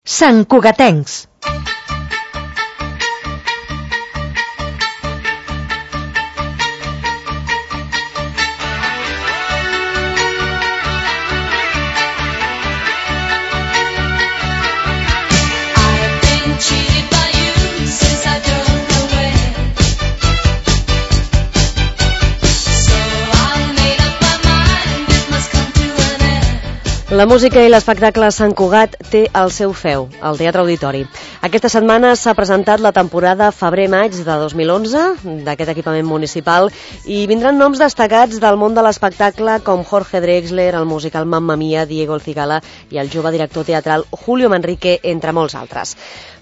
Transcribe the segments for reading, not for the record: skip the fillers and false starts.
Santcugatencs. La música i l'espectacle Sant Cugat té el seu feu, al Teatre Auditori. Aquesta setmana s'ha presentat la temporada febrer-maig de 2011 d'aquest equipament municipal i vindran noms destacats del món de l'espectacle com Jorge Drexler, el musical Mamma Mia, Diego El Cigala i el jove director teatral Julio Manrique, entre molts altres.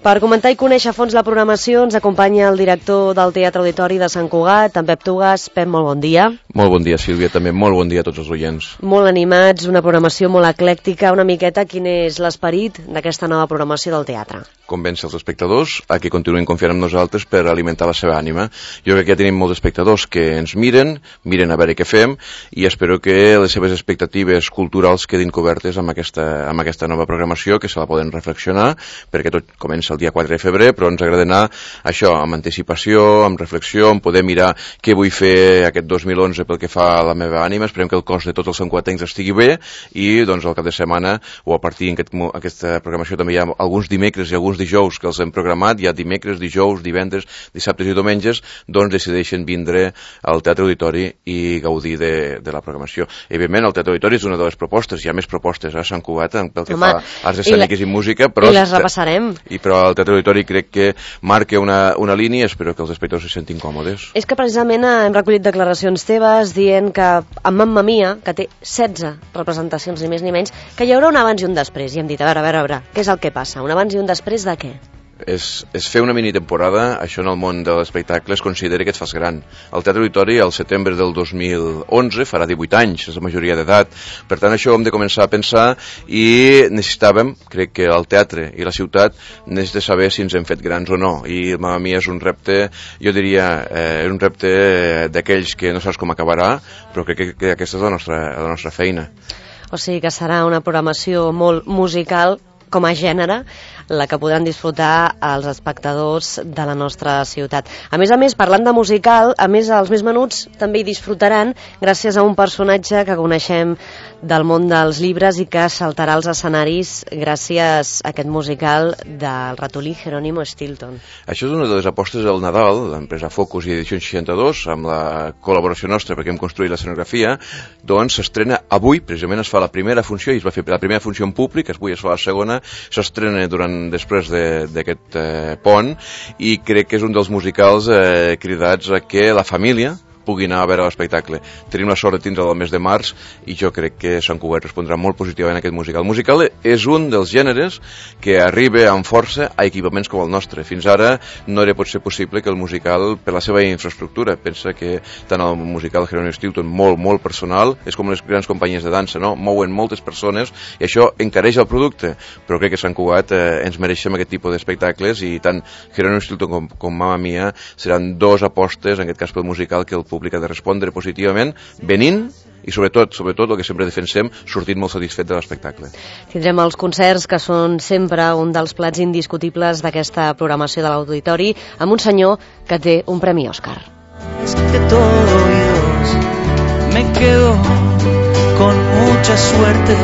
Per comentar i conèixer a fons la programació ens acompanya el director del Teatre Auditori de Sant Cugat, en Pep Tugas. Pep, molt bon dia. Molt bon dia, Sílvia, també molt bon dia a tots els oients. Molt animats, una programació molt eclèctica. Una miqueta, quin és l'esperit d'aquesta nova programació del teatre? Convèncer els espectadors a que continuïn confiant en nosaltres per alimentar la seva ànima. Jo crec que ja tenim molts espectadors que ens miren a veure què fem i espero que les seves expectatives culturals quedin cobertes amb aquesta nova programació, que se la poden reflexionar, perquè tot comença el dia 4 de febrer, però ens agrada anar això amb anticipació, amb reflexió, amb poder mirar què vull fer aquest 2011 pel que fa a la meva ànima. Esperem que el cos de tots els santcugatencs estigui bé i doncs al cap de setmana o a partir d'aquesta programació també hi ha alguns dimecres i alguns dijous que els hem programat, hi ha dimecres, dijous, divendres, dissabtes i diumenges, doncs decideixen vindre al Teatre Auditori i gaudir de la programació. Evidentment, el Teatre Auditori és una de les propostes, hi ha més propostes a Sant Cugat pel que fa a arts escèniques i música, però i les repassarem. Però el Teatre Auditori crec que marca una línia, espero que els espectadors se sentin còmodes. És que precisament hem recollit declaracions teves dient que amb Mamma Mia, que té 16 representacions ni més ni menys, que hi haurà un abans i un després, i hem dit, a veure, què és el que passa? Un abans i un després de què? És fer una mini-temporada, això en el món de l'espectacle es considera que et fas gran. El Teatre Auditori, al setembre del 2011, farà 18 anys, és la majoria d'edat. Per tant, això ho hem de començar a pensar i necessitàvem, crec que el teatre i la ciutat necessita saber si ens hem fet grans o no. I Mamma Mia és un repte, jo diria, un repte d'aquells que no saps com acabarà, però crec que aquesta és la nostra feina. O sigui que serà una programació molt musical com a gènere, la que podran disfrutar els espectadors de la nostra ciutat. A més, parlant de musical, a més, els més menuts també hi disfrutaran gràcies a un personatge que coneixem del món dels llibres i que saltarà als escenaris gràcies a aquest musical del ratolí Jerónimo Stilton. Això és una de les apostes del Nadal, l'empresa Focus i Edicions 62, amb la col·laboració nostra perquè hem construït l'escenografia, doncs s'estrena avui, precisament es fa la primera funció, i es va fer la primera funció en públic, avui es fa la segona, s'estrena després d'aquest pont i crec que és un dels musicals cridats a que la família pugui anar a veure l'espectacle. Tenim la sort de tindre'l al mes de març i jo crec que Sant Cugat respondrà molt positivament a aquest musical. El musical és un dels gèneres que arriba amb força a equipaments com el nostre. Fins ara no era pot ser possible que el musical, per la seva infraestructura, pensa que tant el musical Jerónimo Stilton, molt personal, és com les grans companyies de dansa, no? Mouen moltes persones i això encareix el producte, però crec que Sant Cugat ens mereixem aquest tipus d'espectacles i tant Jerónimo Stilton com Mamma Mia seran dos apostes, en aquest cas pel musical, que el públic ha de respondre positivament, venint i sobretot el que sempre defensem, sortint molt satisfet de l'espectacle. Tindrem els concerts, que són sempre un dels plats indiscutibles d'aquesta programació de l'Auditori, amb un senyor que té un premi Òscar. Es que todo oídos me quedo con mucha suerte.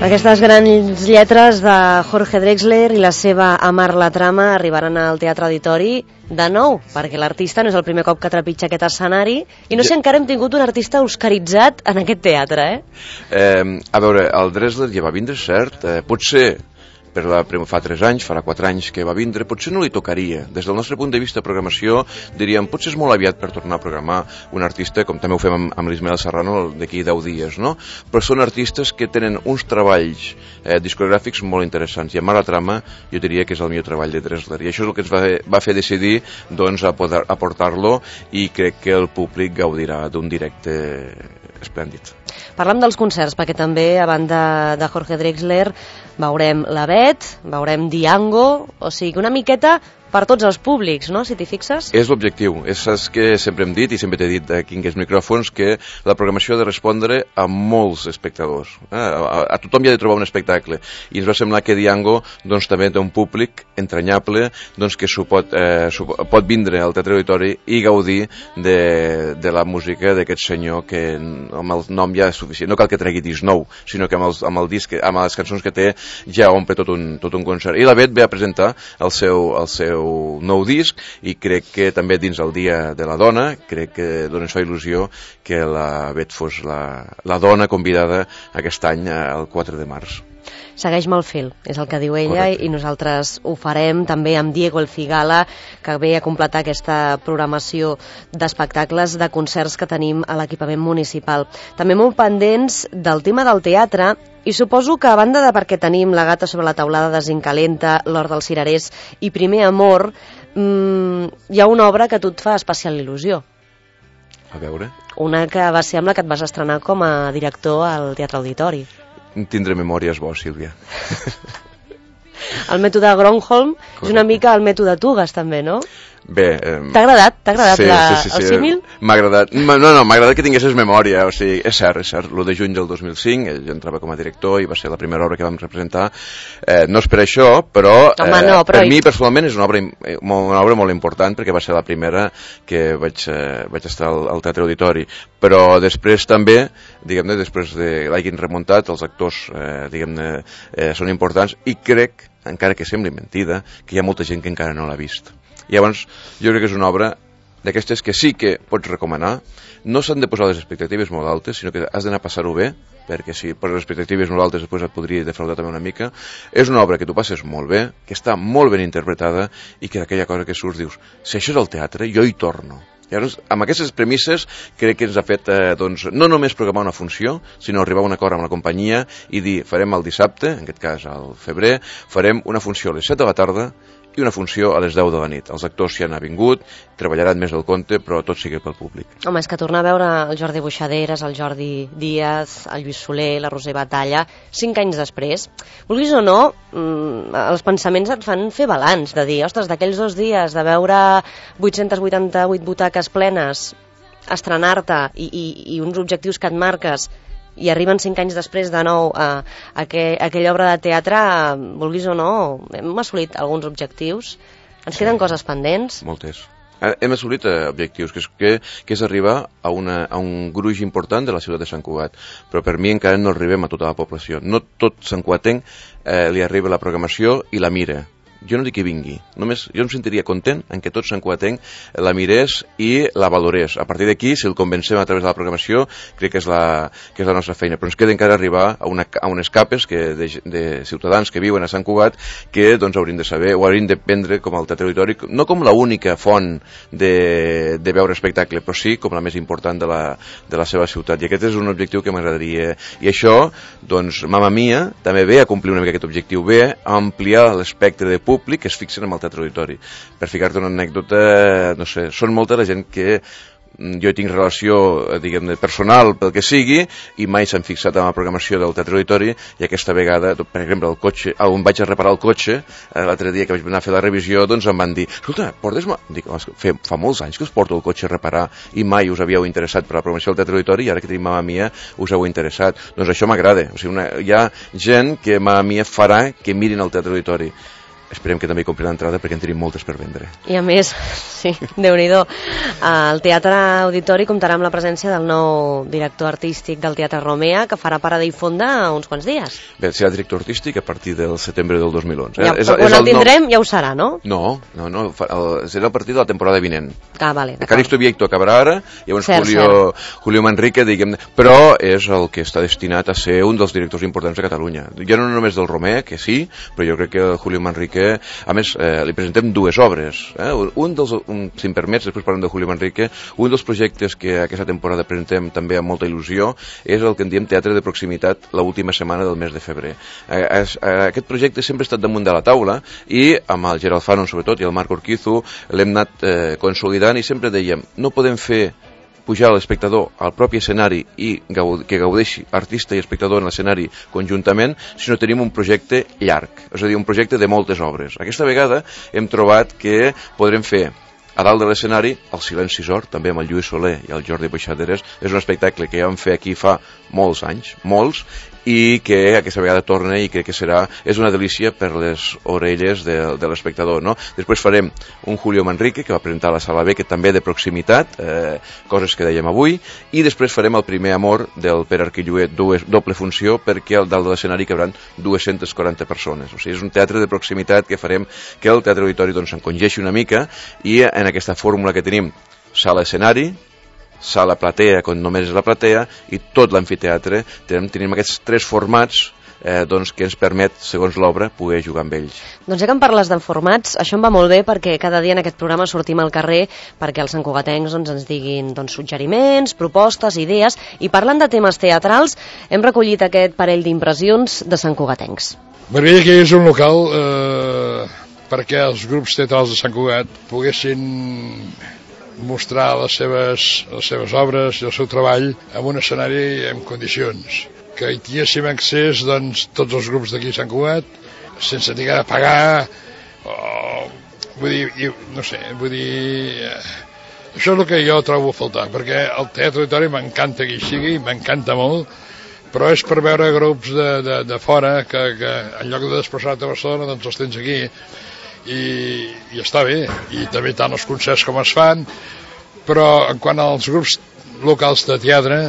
Aquestes grans lletres de Jorge Drexler i la seva Amar la trama arribaran al Teatre Auditori de nou, perquè l'artista no és el primer cop que trepitja aquest escenari i no sé si encara hem tingut un artista oscaritzat en aquest teatre, A veure, el Drexler ja va vindre, cert, potser fa 3 anys, farà 4 anys que va vindre, potser no li tocaria. Des del nostre punt de vista de programació, diríem, potser és molt aviat per tornar a programar un artista, com també ho fem amb l'Ismael Serrano d'aquí 10 dies, no? Però són artistes que tenen uns treballs discogràfics molt interessants, i Amar la trama jo diria que és el millor treball de Drexler, i això és el que ens va fer decidir doncs, a poder aportar-lo, i crec que el públic gaudirà d'un directe esplèndid. Parlem dels concerts, perquè també, a banda de Jorge Drexler, veurem La Bet, veurem Diango, o sigui, una miqueta per tots els públics, no?, si t'hi fixes. És l'objectiu, és el que sempre hem dit i sempre t'he dit aquí en aquests micròfons, que la programació ha de respondre a molts espectadors. A tothom hi ha de trobar un espectacle. I ens va semblar que Diango doncs, també té un públic entranyable doncs, que pot vindre al Teatre Auditori i gaudir de la música d'aquest senyor que amb el nom ja és suficient. No cal que tregui disc nou, sinó que amb el disc, amb les cançons que té ja omple tot un concert. I la Bet ve a presentar el seu nou disc i crec que també dins el Dia de la Dona, crec que dona això il·lusió que la Bet fos la dona convidada aquest any el 4 de març. Segueix-me el fil, és el que diu ella. Correcte. I nosaltres ho farem també amb Diego El Cigala, que ve a completar aquesta programació d'espectacles, de concerts que tenim a l'equipament municipal. També molt pendents del tema del teatre, i suposo que a banda de perquè tenim La gata sobre la teulada de Zincalenta, L'hort dels cirerers i Primer amor, hi ha una obra que a tu et fa especial il·lusió. A veure? Una que va ser amb la que et vas estrenar com a director al Teatre Auditori. Tindré memòries bo, Sílvia. El mètode Gronholm és una mica el mètode Tugas, també, no? Bé... T'ha agradat? Sí, el símil? M'ha agradat. No, m'ha agradat que tinguessis memòria. O sigui, és cert. L'1 de juny del 2005, ell entrava com a director i va ser la primera obra que vam representar. No és per això, però, per mi personalment és una obra molt important, perquè va ser la primera que vaig estar al Teatre Auditori. Però després també, diguem-ne, després de l'hagin remuntat, els actors, diguem-ne, són importants, i crec, encara que sembli mentida, que hi ha molta gent que encara no l'ha vist. I llavors jo crec que és una obra d'aquestes que sí que pots recomanar. No s'han de posar les expectatives molt altes, sinó que has d'anar a passar-ho bé, perquè si poses les expectatives molt altes després et podria defraudar també una mica. És una obra que tu passes molt bé, que està molt ben interpretada i que d'aquella cosa que surts dius, si això és el teatre, jo hi torno. Llavors, amb aquestes premisses crec que ens ha fet no només programar una funció, sinó arribar a un acord amb la companyia i dir, farem el dissabte, en aquest cas al febrer, farem una funció a les 7 de la tarda i una funció a les 10 de la nit. Els actors s'hi han vingut, treballaran més del compte, però tot sigui pel públic. Home, és que tornar a veure el Jordi Buixaderes, el Jordi Díaz, el Lluís Soler, la Roser Batalla, 5 anys després, vulguis o no, els pensaments et fan fer balanç, de dir, ostres, d'aquells 2 dies de veure 888 butaques plenes, estrenar-te i uns objectius que et marques, i arriben 5 anys després de nou a aquella obra de teatre, vulguis o no, hem assolit alguns objectius. Ens queden coses pendents? Moltes. Hem assolit objectius, que és arribar a un gruix important de la ciutat de Sant Cugat, però per mi encara no arribem a tota la població. No tot Sant Cugatenc li arriba la programació i la mira. Jo no dic que vingui, només jo em sentiria content en que tot Sant Cugatenc la mirés i la valorés. A partir d'aquí, si el convencem a través de la programació, crec que és la nostra feina. Però ens queda encara arribar a unes capes de ciutadans que viuen a Sant Cugat que doncs, haurien de saber o haurien de prendre com el Teatre Auditori, no com l'única font de veure espectacle, però sí com la més important de la seva ciutat. I aquest és un objectiu que m'agradaria. I això, doncs, Mamma Mia també ve a complir una mica aquest objectiu, ve a ampliar l'espectre de públic que es fixen en el Teatre Auditori. Per ficar-te una anècdota, no sé, són molta la gent que jo tinc relació, diguem-ne, personal pel que sigui, i mai s'han fixat en la programació del Teatre Auditori, i aquesta vegada, per exemple, el cotxe, on vaig a reparar el cotxe, l'altre dia que vaig anar a fer la revisió, doncs em van dir, escolta, portes-me... Dic, fa molts anys que us porto el cotxe a reparar i mai us havíeu interessat per la programació del Teatre Auditori, i ara que tenim Mamma Mia us heu interessat. Doncs això m'agrada. O sigui, hi ha gent que Mamma Mia farà que mirin el Teatre Auditori. Esperem que també compri l'entrada perquè en tenim moltes per vendre. I a més, sí, Déu-n'hi-do, el Teatre Auditori comptarà amb la presència del nou director artístic del Teatre Romea, que farà parada i fonda uns quants dies. Bé, serà director artístic a partir del setembre del 2011. Ja, quan el tindrem ja ho serà, no? No, serà a partir de la temporada vinent. Vale. Caristo Vieito acabarà ara, llavors Julio Manrique, diguem, però és el que està destinat a ser un dels directors importants de Catalunya. Ja no només del Romea, que sí, però jo crec que el Julio Manrique, a més, li presentem 2 obres. Si em permets, després parlem de Julio Manrique, un dels projectes que aquesta temporada presentem també amb molta il·lusió és el que en diem Teatre de Proximitat l'última setmana del mes de febrer. Aquest projecte sempre ha estat damunt de la taula i amb el Gerald Fanon, sobretot, i el Marc Urquizu l'hem anat consolidant i sempre dèiem, no podem fer pujar l'espectador al propi escenari i que gaudeixi artista i espectador en l'escenari conjuntament, sinó tenim un projecte llarg, és a dir, un projecte de moltes obres. Aquesta vegada hem trobat que podrem fer a dalt de l'escenari el Silenci Sord, també amb el Lluís Soler i el Jordi Peixaderes. És un espectacle que ja vam fer aquí fa molts anys, molts, i que aquesta vegada torna i crec que és una delícia per les orelles de l'espectador, no? Després farem un Julio Manrique, que va presentar a la Sala B, que també de proximitat, coses que dèiem avui, i després farem el Primer Amor del Pere Arquillué, doble funció, perquè al dalt de l'escenari cabran 240 persones. O sigui, és un teatre de proximitat que farem que el Teatre Auditori s'encongeixi una mica, i en aquesta fórmula que tenim, sala-escenari, sala platea, quan només és la platea, i tot l'amfiteatre, tenim aquests tres formats que ens permet, segons l'obra, poder jugar amb ells. Doncs ja que em parles de formats, això em va molt bé perquè cada dia en aquest programa sortim al carrer perquè els santcugatencs ens diguin suggeriments, propostes, idees, i parlant de temes teatrals, hem recollit aquest parell d'impressions de santcugatencs. M'agradaria que hi hagués un local perquè els grups teatrals de Sant Cugat poguessin mostrar les seves obres i el seu treball en un escenari en condicions, que hi tinguéssim accés tots els grups d'aquí a Sant Cugat sense haver de pagar això és el que jo trobo a faltar, perquè el Teatre Auditori m'encanta que hi sigui, m'encanta molt, però és per veure grups de fora que en lloc de desplaçar-te a Barcelona doncs els tens aquí. I està bé, i també tant els concerts com es fan, però en quant als grups locals de teatre,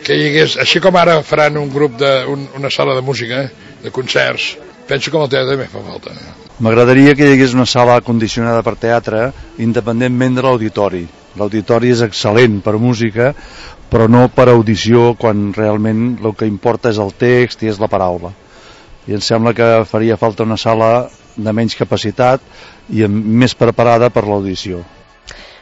que hi hagués, així com ara faran un grup una sala de música, de concerts, penso que amb el teatre també fa falta. M'agradaria que hi hagués una sala condicionada per teatre, independentment de l'auditori. L'auditori és excel·lent per música, però no per audició, quan realment el que importa és el text i és la paraula. I em sembla que faria falta una sala de menys capacitat i més preparada per l'audició.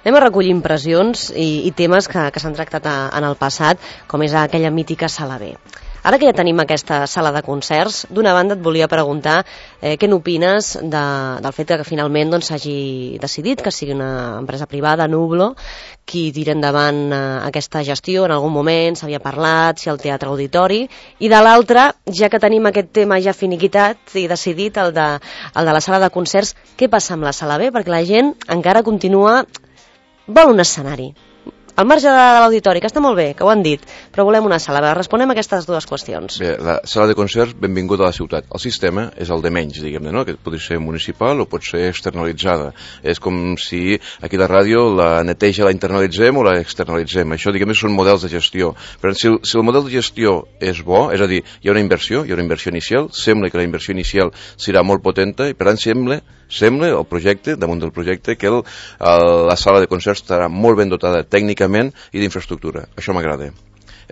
Anem a recollir impressions i temes que s'han tractat en el passat, com és aquella mítica Sala B. Ara que ja tenim aquesta sala de concerts, d'una banda et volia preguntar què n'opines del fet que finalment s'hagi decidit que sigui una empresa privada, Nublo, qui tira endavant aquesta gestió. En algun moment s'havia parlat si el Teatre Auditori, i de l'altra, ja que tenim aquest tema ja finiquitat i decidit, el de la sala de concerts, què passa amb la Sala B? Perquè la gent encara continua... vol un escenari. Al marge de l'auditori, que està molt bé, que ho han dit, però volem una sala. Responem a aquestes dues qüestions. Bé, la sala de concerts, benvinguda a la ciutat. El sistema és el de menys, diguem-ne, no? Que pot ser municipal o pot ser externalitzada. És com si aquí la ràdio la neteja la internalitzem o la externalitzem. Això, diguem-ne, són models de gestió. Però si el model de gestió és bo, és a dir, hi ha una inversió inicial, sembla que la inversió inicial serà molt potenta i, per tant, sembla el projecte, damunt del projecte, que la sala de concerts estarà molt ben dotada tècnicament i d'infraestructura. Això m'agrada.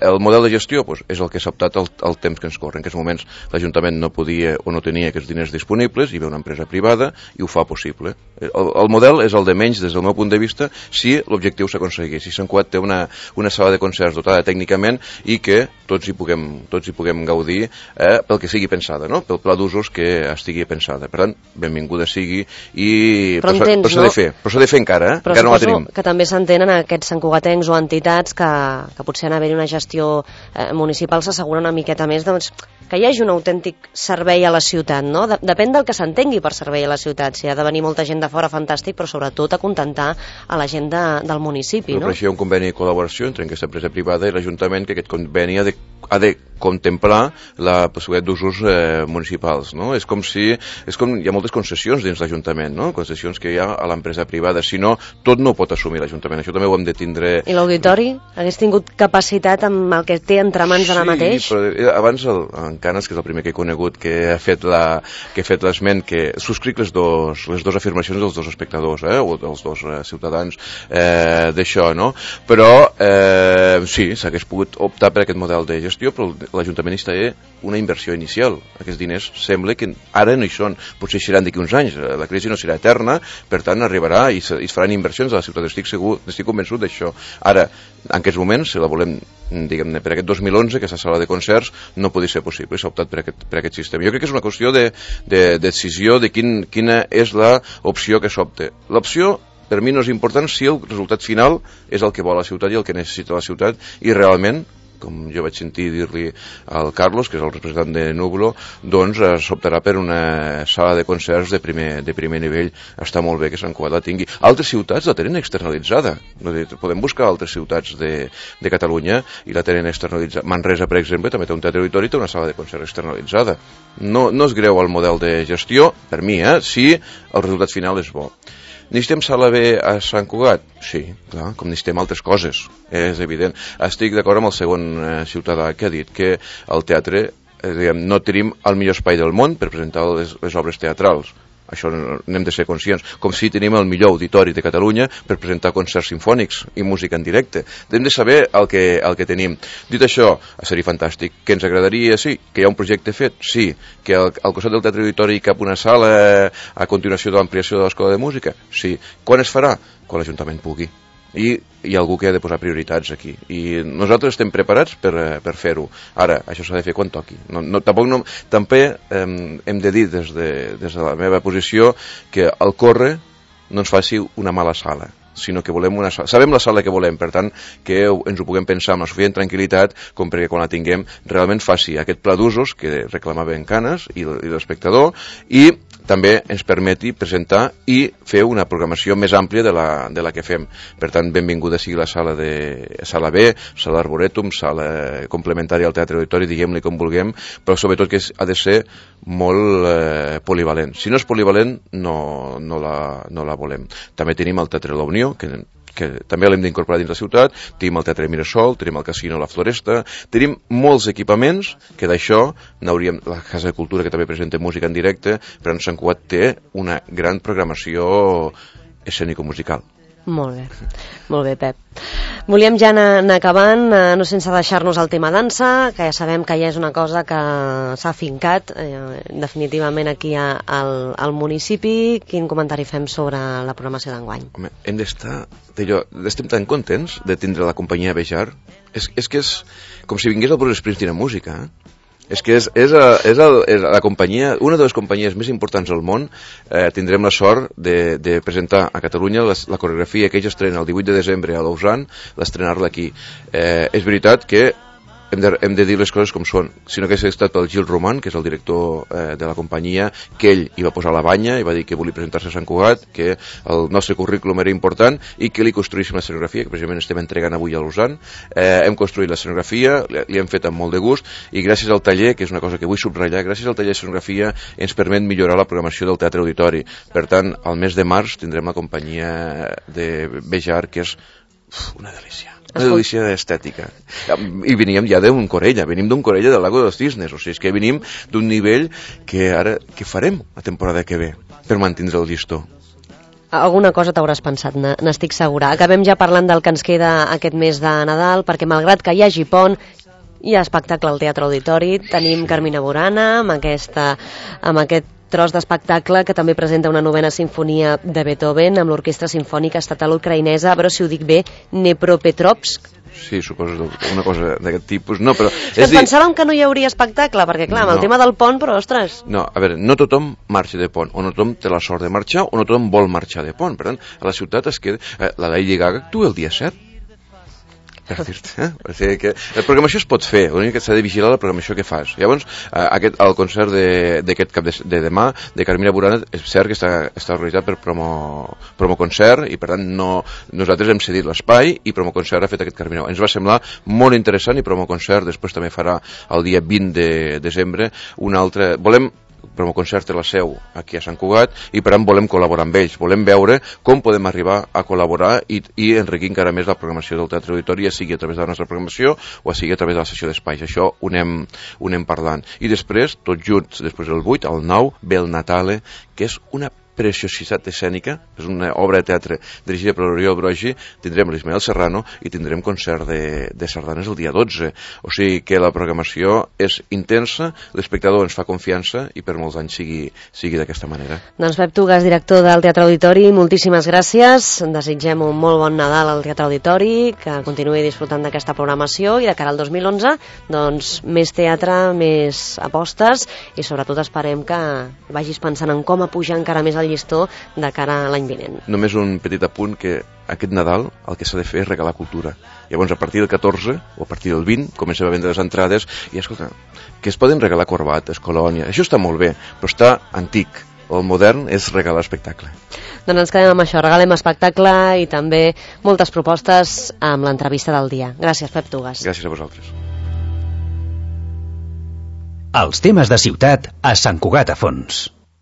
El model de gestió és el que s'ha optat al temps que ens corre. En aquests moments l'Ajuntament no podia o no tenia aquests diners disponibles, hi ve una empresa privada i ho fa possible. El model és el de menys des del meu punt de vista si l'objectiu s'aconsegueix, si Sant Cugat té una sala de concerts dotada tècnicament i que tots hi puguem gaudir pel que sigui pensada, no? Pel pla d'usos que estigui pensada. Per tant, benvinguda sigui, però s'ha de fer encara, encara no la tenim. Però que també s'entenen aquests santcugatencs o entitats que potser en haver-hi una gestió municipal s'assegura una miqueta més que hi hagi un autèntic servei a la ciutat, no? Depèn del que s'entengui per servei a la ciutat. Si ha de venir molta gent de fora, fantàstic, però sobretot acontentar a la gent del municipi, no? Per això hi ha un conveni de col·laboració entre aquesta empresa privada i l'Ajuntament, que aquest conveni ha de contemplar la possibilitat d'usos municipals, no? És com hi ha moltes concessions dins l'Ajuntament, no? Concessions que hi ha a l'empresa privada. Si no, tot no ho pot assumir l'Ajuntament. Això també ho hem de tindre... I l'auditori? Hagués tingut capacitat amb el que té entre mans ara mateix? Sí, però abans en Canes, que és el primer que he conegut, que ha fet l'esment, que subscric les dues afirmacions dels dos espectadors, o dels dos ciutadans d'això, no? Però sí, s'hagués pogut optar per aquest model de gestió, però l'Ajuntament hi té una inversió inicial. Aquests diners sembla que ara no hi són, potser seran d'aquí uns anys, la crisi no serà eterna, per tant arribarà i es faran inversions a la ciutat, estic convençut d'això. Ara, en aquests moments, si la volem, diguem-ne, per aquest 2011, aquesta sala de concerts no podia ser possible, s'ha optat per aquest sistema. Jo crec que és una qüestió de decisió de quina és l'opció que s'opta. L'opció per mi no és important si el resultat final és el que vol la ciutat i el que necessita la ciutat, i realment, com jo vaig sentir dir-li al Carlos, que és el representant de Nublo, doncs s'optarà per una sala de concerts de primer nivell. Està molt bé que Sant Cugat la tingui. Altres ciutats la tenen externalitzada. Podem buscar altres ciutats de Catalunya i la tenen externalitzada. Manresa, per exemple, també té un teatre auditori i té una sala de concerts externalitzada. No és greu el model de gestió, per mi, si el resultat final és bo. Necessitem sala B a Sant Cugat? Sí, clar, com necessitem altres coses, és evident. Estic d'acord amb el segon ciutadà que ha dit que el teatre, no tenim el millor espai del món per presentar les obres teatrals. Això n'hem de ser conscients. Com si tenim el millor auditori de Catalunya per presentar concerts sinfònics i música en directe. Hem de saber el que tenim. Dit això, seria fantàstic. Que ens agradaria, sí, que hi ha un projecte fet, sí. Que al costat del teatre auditori hi cap una sala a continuació de l'ampliació de l'escola de música, sí. Quan es farà? Quan l'Ajuntament pugui. I hi ha algú que ha de posar prioritats aquí, i nosaltres estem preparats per fer-ho. Ara, això s'ha de fer quan toqui. També hem de dir des de la meva posició que el Corre no ens faci una mala sala, sinó que volem una sala. Sabem la sala que volem, per tant, que ens ho puguem pensar amb la suficient tranquil·litat com perquè quan la tinguem realment faci aquest pla d'usos que reclamaven Canes i l'espectador, i també ens permeti presentar i fer una programació més àmplia de la que fem. Per tant, benvinguda sigui la sala B, sala Arboretum, sala complementària al Teatre Auditori, diguem-li com vulguem, però sobretot que ha de ser molt polivalent. Si no és polivalent, no la volem. També tenim el Teatre La Unió, que també l'hem d'incorporar dins la ciutat, tenim el Teatre Mirasol, tenim el Casino La Floresta, tenim molts equipaments que d'això n'hauríem, la Casa de Cultura que també presenta música en directe, però Sant Cugat té una gran programació escènico-musical. Molt bé, Pep. Volíem ja anar acabant, no sense deixar-nos el tema dansa, que ja sabem que ja és una cosa que s'ha fincat definitivament aquí al municipi. Quin comentari fem sobre la programació d'enguany? Home, estem tan contents de tindre la companyia Bejar. És que és com si vingués el Bruce Springsteen a música, És que és la companyia, una de les companyies més importants del món. Tindrem la sort de presentar a Catalunya la coreografia que ells estrenen el 18 de desembre a Lausanne, l'estrenar-la aquí. És veritat que hem de dir les coses com són, sinó que s'ha estat pel Gil Roman, que és el director de la companyia, que ell hi va posar la banya i va dir que volia presentar-se a Sant Cugat, que el nostre currículum era important i que li construïssin l'escenografia, que precisament estem entregant avui a Lausanne. Hem construït l'escenografia, li hem fet amb molt de gust, i gràcies al taller, que és una cosa que vull subratllar, gràcies al taller d'escenografia ens permet millorar la programació del Teatre Auditori. Per tant, al mes de març tindrem la companyia de Bejar, que és una delícia. Una delícia estètica. I veníem ja d'un Corella, venim d'un Corella del Lago de los Cisnes, o sigui, és que venim d'un nivell que ara, què farem la temporada que ve per mantindre el llistó? Alguna cosa t'hauràs pensat, n'estic segura. Acabem ja parlant del que ens queda aquest mes de Nadal, perquè malgrat que hi hagi pont, hi ha espectacle al Teatre Auditori, tenim Carmina Burana amb aquest tros d'espectacle que també presenta una novena sinfonia de Beethoven amb l'Orquestra Simfònica Estatal Ucraïnesa, però si ho dic bé, Dnepropetrovsk. Sí, suposo una cosa d'aquest tipus. No, però pensàvem que no hi hauria espectacle, perquè clar, amb el tema del pont, però ostres... No, a veure, no tothom marxa de pont, o no tothom té la sort de marxar, o no tothom vol marxar de pont. Per tant, a la ciutat es queda... La Lady Gaga actua el dia 7. Per dir-te, o sigui que la programació es pot fer, l'únic que s'ha de vigilar la programació que fas. Llavors, el concert d'aquest cap de demà de Carmina Burana és cert que està organitzat per Promoconcert, i per tant nosaltres hem cedit l'espai i Promoconcert ha fet aquest Carmina. Ens va semblar molt interessant, i Promoconcert després també farà el dia 20 de desembre un altre... Promoconcert té la seu aquí a Sant Cugat, i per tant volem col·laborar amb ells, volem veure com podem arribar a col·laborar i enriquir encara més la programació del Teatre Auditori, ja sigui a través de la nostra programació o sigui a través de la sessió d'espais. Això ho anem parlant. I després, tots junts, després del 8, el 9, ve el Natale, que és una preciositat escènica, és una obra de teatre dirigida per l'Oriol Brogi. Tindrem l'Ismael Serrano i tindrem concert de sardanes el dia 12. O sigui que la programació és intensa, l'espectador ens fa confiança i per molts anys sigui d'aquesta manera. Doncs Pep Tugas, director del Teatre Auditori, moltíssimes gràcies. Desitgem un molt bon Nadal al Teatre Auditori, que continuï disfrutant d'aquesta programació, i de cara al 2011, doncs més teatre, més apostes, i sobretot esperem que vagis pensant en com apujar encara més el llistó de cara a l'any vinent. Només un petit apunt, que aquest Nadal el que s'ha de fer és regalar cultura. Llavors, a partir del 14 o a partir del 20 comencem a vendre les entrades i, escolta, que es poden regalar corbates, colònia, això està molt bé, però està antic. El modern és regalar espectacle. Doncs ens quedem amb això, regalem espectacle i també moltes propostes amb l'entrevista del dia. Gràcies, Pep Tugas. Gràcies a vosaltres. Els temes de ciutat a Sant Cugat a Fons.